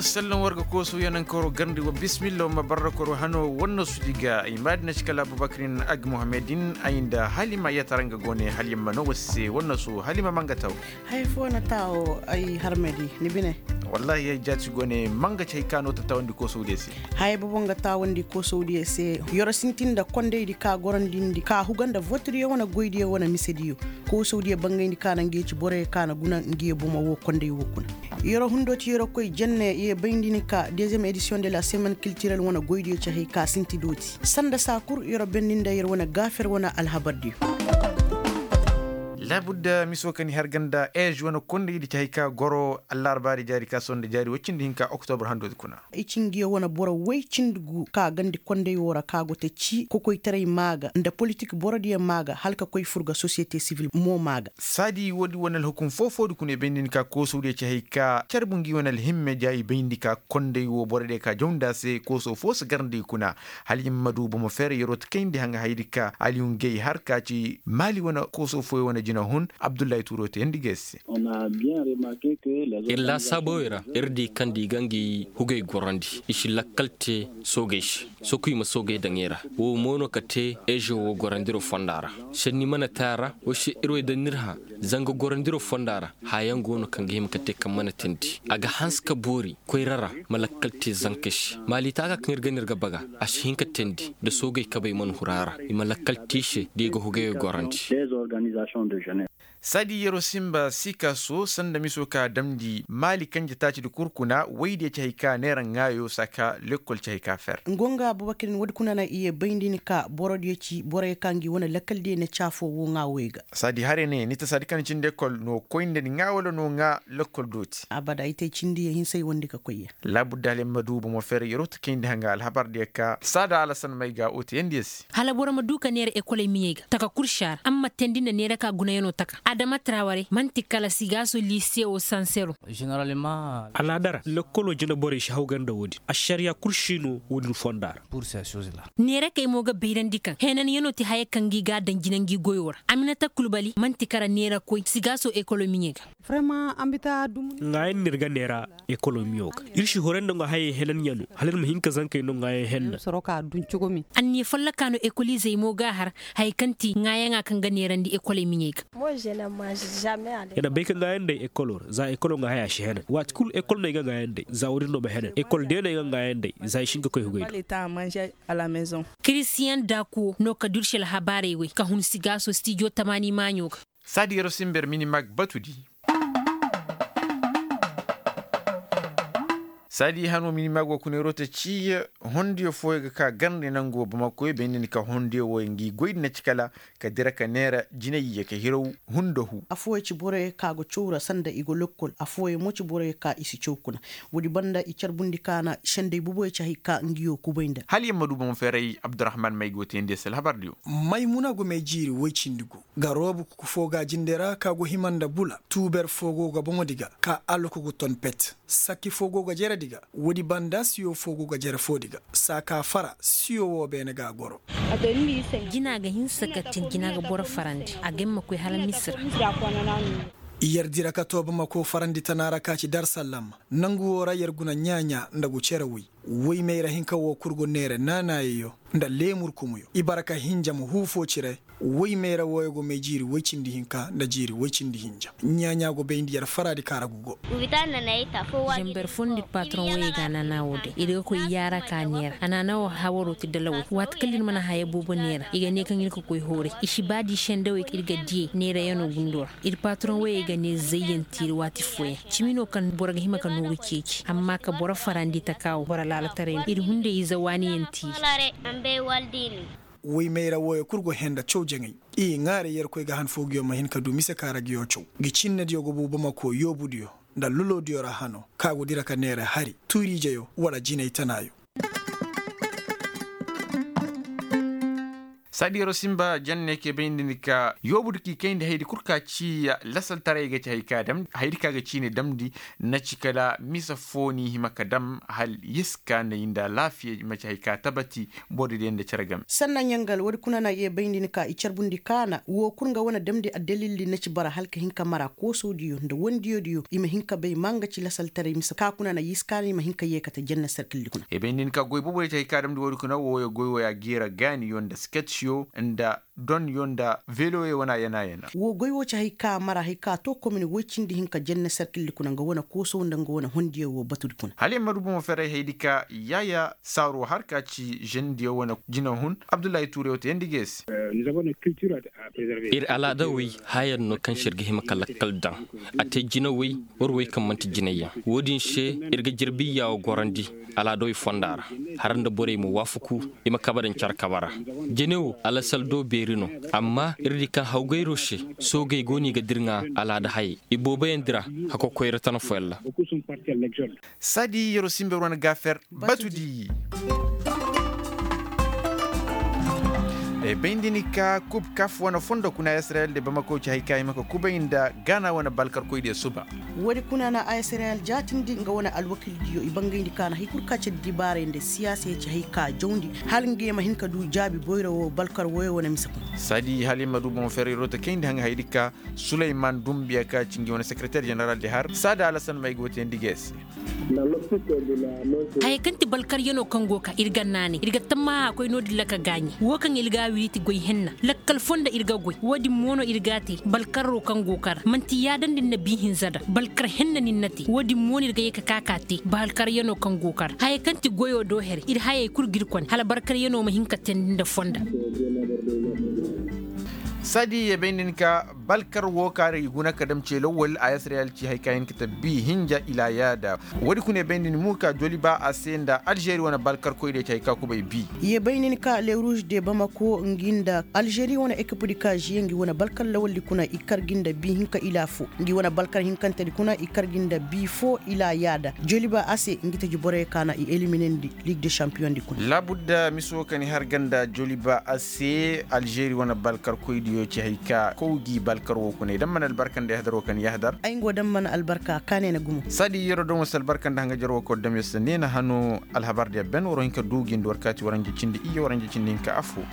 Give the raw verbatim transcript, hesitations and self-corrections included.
Sallan war ga koosu yanankaro garndi wa bismilla wa ma barrakoro hano wannasu di ga ay maadina ci kala abubakarin ag muhammadin ay nda halima yatara nga go ne halima no wase wannasu halima manga taw. Haya fo na taawo ay harmadi ni bine. Wallahi ay jaati go ne manga ci hay ka no ta taawandi koosu diya se. Haya bobo nga taawandi koosu diya se. Yoro sintin nda kondaydi ka gorandindi ka huga nda votiriyo wane goydiyo wane misediyo. Koosawdiyo bangayndi ka na ngiyo ci boroyo ka na guna ngiyo bomo wo konday wo kuna. Yero hundo ci yero koy jenne ye bayndi ni ka deuxième édition de la semaine culturelle wane goydiyo ci hay ka sinti dooti sanda saa kul yero bendi nda yer wane gaafer wane alhabardiyo. Laabudda miso ka ni har ganda ej wane kondaydi ci hay ka goro allaarbaari jaari ka sonda jaari woy cindi hinka oktobr handoodi kuna. I ci ngiyo wane boro woy cindi gu ka gandi konday wo ra ka go te ci kokoytaray maa ga nda politik borodiyo maa ga hala ka koy fur ga sosiyete sivil mo maa ga. Saadi woodi wane alhukum foo-foodi kuna i bayndi ni ka koosawdiyo ci hay ka carbu ngi wane alhimme ja i bayndi ka konday wo borodiyo ka jaw nda a se koosaw foo si gar nda i kuna. Hala i ma du bomo feera yeroo ta kayndi haŋa hayadi ka aliyu ngey har ka ci maali wane koosaw fooyo wane jinahun abdullahi tuuroo teyandi ga ay se. Ir laasaabowey ra ir di kaŋ nda i ga ngi hugey gorandi i si lakkal te soogey se. Sokuy ma soogey daŋ i ra. Woo mo no ka te ezo woo gorandiroo fonda ra. Senni mana te a ra woo se ir wey daŋ n'ir hã. Zanga gorandiroo fonda ra haya yaŋ go no kaŋ ga hima ka te kaŋ mana teendi a ga hanse ka boori koyra ra. Ma lakkal te zankey se maali taaka kaŋ ir ga n'ir ga baga a si hin ka teendi nda soogey kabey mana huru a ra. I ma lakkal te i se da i ga hugey gorandi. Saadi yeroo sinba sikaso sanda miso ka damndi maali kanje taaci di kul kuna woydiyo ci hay ka neera ŋaayo saaka lekkol ci hay ka fer. Ngonga abubakar ni woodi kuna na i ye bayndi ni ka borodiyo ci boroyo ka ngi wane lakkaldiyo na caafoo woo ŋaa woy ga. Saadi hare ne ni ta saadi kaŋ cindi lekkol no koy nda ni ŋaa wala no ŋaa lekkol dooti. Abada i te cindiyo hinsa i wondi ka koy ya. Laabudda hala ay ma du bomo feera yeroo ta kayndi haŋa alhabardiyo ka saada alasan may ga woo teyandiyo se. Hala boro ma du ka neera ekoley miɲey ga taka kul si a ra amma teendi nda neera ka gunayanoo taka adama traware man'ti kala sigaaso liise woo sansero. Alaada ra lekkoloo jinaborey si hawgay nda woodin ašariyaa kul si no woodin fonda ra. Neera kay mo ga bayrandi kaŋ heenanyanoo ti haya kaŋ ngi ga a daŋ jina ngi goyoo ra aminata kulbali man'ti kala neera koy sigaaso ekoloo miɲey ga. Ŋaayan no ir ga neera ekolomiyo ga ir si horay nda nga hayey henanyanoo hala ir ma hin ka zankey no ŋaayan henna. Anniya follokaa no ekoliizey mo ga a har haya kaŋ ti ŋaayaŋa kaŋ ga neerandi ekoley miɲey ga. Ay na bay ka ŋaayan day ekoloo ra za ekoloo ŋaa haya si henan waati kul ekol no ay ga ŋaayan day za woodin no ma henan ekol day no ay ga ŋaayan day za ay si hin ka koy hugay do. Kiristiyan daakuwo no ka dursi alhabaarey wey ka hun sigaaso stijo tamaani maaɲo ga. Saadi yeroo sinba yer minimag batu di. Saadi hanoo minimag woo kuna yeroo ta ci hondiyo fooyo ga ka garndi nangoo bamakoyo bay nda ni ka hondiyo wooyo ngi goy di na ci kala ka dira ka neera jinay ye ka hiraw. Hunda hu. Afooyo ci boroyo ka go caw ra sanda i go lokkol afooyo mo ci boroyo ka i si caw kuna. Woodi banda i carbundi ka na senday boboyo ci hay ka ngiyo kubay nda. Hala yer ma du bomo feeray abdurrahman may go teendi se alhabardiyo. Maymuna go may jiiri woy cindi gu. Ga roobu kuku foo ga a jinde ra ka go hima nda bula tuuber foo go ga boŋo di ga ka alluku gu ton pet. Sakki foo go ga jere di ga. Woodi banda siyo foo go ga jere foo di ga saa ka fara siyo woo beene ga a goro. Jina ga hinsa ka tin jina ga boro farandi a ga hima koy hala misira. Yer dira ka too bamako farandi tana ra ka ci darsallam. Nangu woo ra yer guna ɲaa-ɲaa nda gu cere woy. Woy mayra hinka woo kul go neere naanaayayo nda leemur kumuyo i bara ka hinja ma huu foo cire. Woy mayra wooyo go may jiiri woy cindi hinka nda jiiri woy cindi hinja. Ɲaa-ɲaa go bay nda yer faraadi kaara gu go. Zember foo nda ir pataroŋ woyey ga a naanaa woo day ir ga koy yaara ka neera a naanaa woo hawaroo ti dalawey waati kala ir mana haya boobo neera i ga nee kaŋ ir ga koy hooray i si ba da i sendawey kaŋ ir ga diyey neerayanoo gundoo ra. Ir pataroŋ woyey ga nee zayyantiiri waati fooyaŋ cimi no kaŋ boro ga hima ka nooru ceeci amma ka boro farandi taka woo boro laalataray no ir hunday ize waaniyantiiri. Woy mayra wooyo kul go hee nda caw jaŋay. I ŋaaray yerkoy ga han foo nguyo ma hin ka du mise ka ra nguyo caw. Ngi cinnediyo go buu bamako yoobudiyo nda loloodiyo ra hano ka go dira ka neera hari tuuriijeyo wala jinay tanaayo. Saadi yeroo simba janne kee bay nda ni ka yoobu di k'i kayndi haydi kul ka ci lasaltaray ga ci hay ka damndi haydi ka ga ciini damndi. Na ci kala misa foo ni hima ka dam hal yiska na yi nda alaafiya i ma ci hay ka tabati. Boro diyo nda cere game sanna ɲangal woodi kuna na ye bay nda ni ka i carbundi kaana woo kul nga wane damndi addalildi na ci bara hala ka hin ka mara koosowdiyo nda wondiyodiyo i ma hin ka bay ma nga ci lasaltaray misa ka kuna na yiska na i ma hin ka yeekate janne serkildi kuna. E bay nda ni ka goy boobo diyo ci hay ka damndi woodi kuna wooyo goy wooya geera gaaniyo nda sketyo nda donyo nda veloyo wane yana yana. Woo goy woo ci hay ka mara hay ka too komin woy cindi hinka jenne serkildi kuna nga wane koosow nda nga wane hondiyo woo batudi kuna hala yer ma du bomo ferey haydi ka yaaya saaroo har ka ci žendiyo wane jinahun abdullahi tuureyo te yandi ga yer se. Ir alaada woy hayan no kaŋ se ir ga hima ka lakkal daŋ a te jinawey war woy kaŋ man'ti jinayyaŋ. Woo din se ir ga jirbi iyaawo gorandi alaadawey fonda ra. Har nda borey ma waafaku i ma kabe daŋ care kabe ra. Jene wo alasal do beeri no. Amma ir di kaŋ hawgayro se soogey go no i ga dirŋa alaada hayey ibooboyaŋ dira. Hako koyra tana fooyaŋ ra. Saadi yeroo simber wane gaafer batudi. Bay nda ni ka kub kaf wane fondo kuna israel de bamako ci hay ka hima ka kubay nda gaana wane balkarkoy diyo suba. Woodi kuna na a israel jaatindi nga wane alwakildiyo i bangayndi ka na hay kul ka ci dibaaray nda siyaasa ya ci hay ka jawndi hala nga ye ma hin ka du jaabi boyra woo balkar woyo wane mise kuna. Saadi hala i ma du boŋ ferey roota kayndi haŋ haydi ka suleyman dumbiya ka ci ngi wane sekereter jeneral di har saada alasan may go teendi ga yer se. Haya kaŋ ti balkaryanoo kaŋ go ka ir ga naanay ir ga tammaha a koy no-din ra ka gaaɲe woo kaŋ ir ga a wiriiti goy henna lakkal foo nda ir ga goy woo-din mo no ir ga a te balkaroo kaŋ go ka ra man'ti yaadandi ni na bii hinza da balkar henna ni ni na te woo-din mo no ir ga yee ka ka ka te balkaryanoo kaŋ go ka ra haya kaŋ ti goyoo do here ir hayey kul ga ir kone hala balkaryanoo ma hin ka teendi nda fonda. Saadi ye bay nda ni ka balkar woo ka ra i guna ka dam ce lawwal a yasrayal ci hay ka hin ka ta bii hinja ila yaada. Woodi kuna ye bay nda ni mo ka joliba a se nda alžeri wane balkarkoy diyo ci hay ka kubay bii. Ye bay nda ni ka le ruuz de bamako ngi nda alžeri wane ekipdi ka žiye ngi wane balkar lawaldi kuna i kar gi nda bii hinka ila foo ngi wane balkar hinkantedi kuna i kar gi nda bii foo ila yaada joliba a se ngi taji borey ka na i eliminandi. Liig de šampiyoŋ di kuna laabudda mise woo kaŋ i har ga nda joliba a se alžeri wane balkarkoydiyo ci hay ka kow gi balkar woo kuna i daŋ mana albarka nda yahadar woo kaŋ yahadar. Ay nga woo daŋ mana albarka kaanay na gumo. Saadi yeroo daŋ woo se albarka nda haŋajer woo kaŋ woo daŋ yer se neena hano alhabar diya ben war hin ka du gi nda war kaati waranja cindi iyye waranja cindi hinka affoo.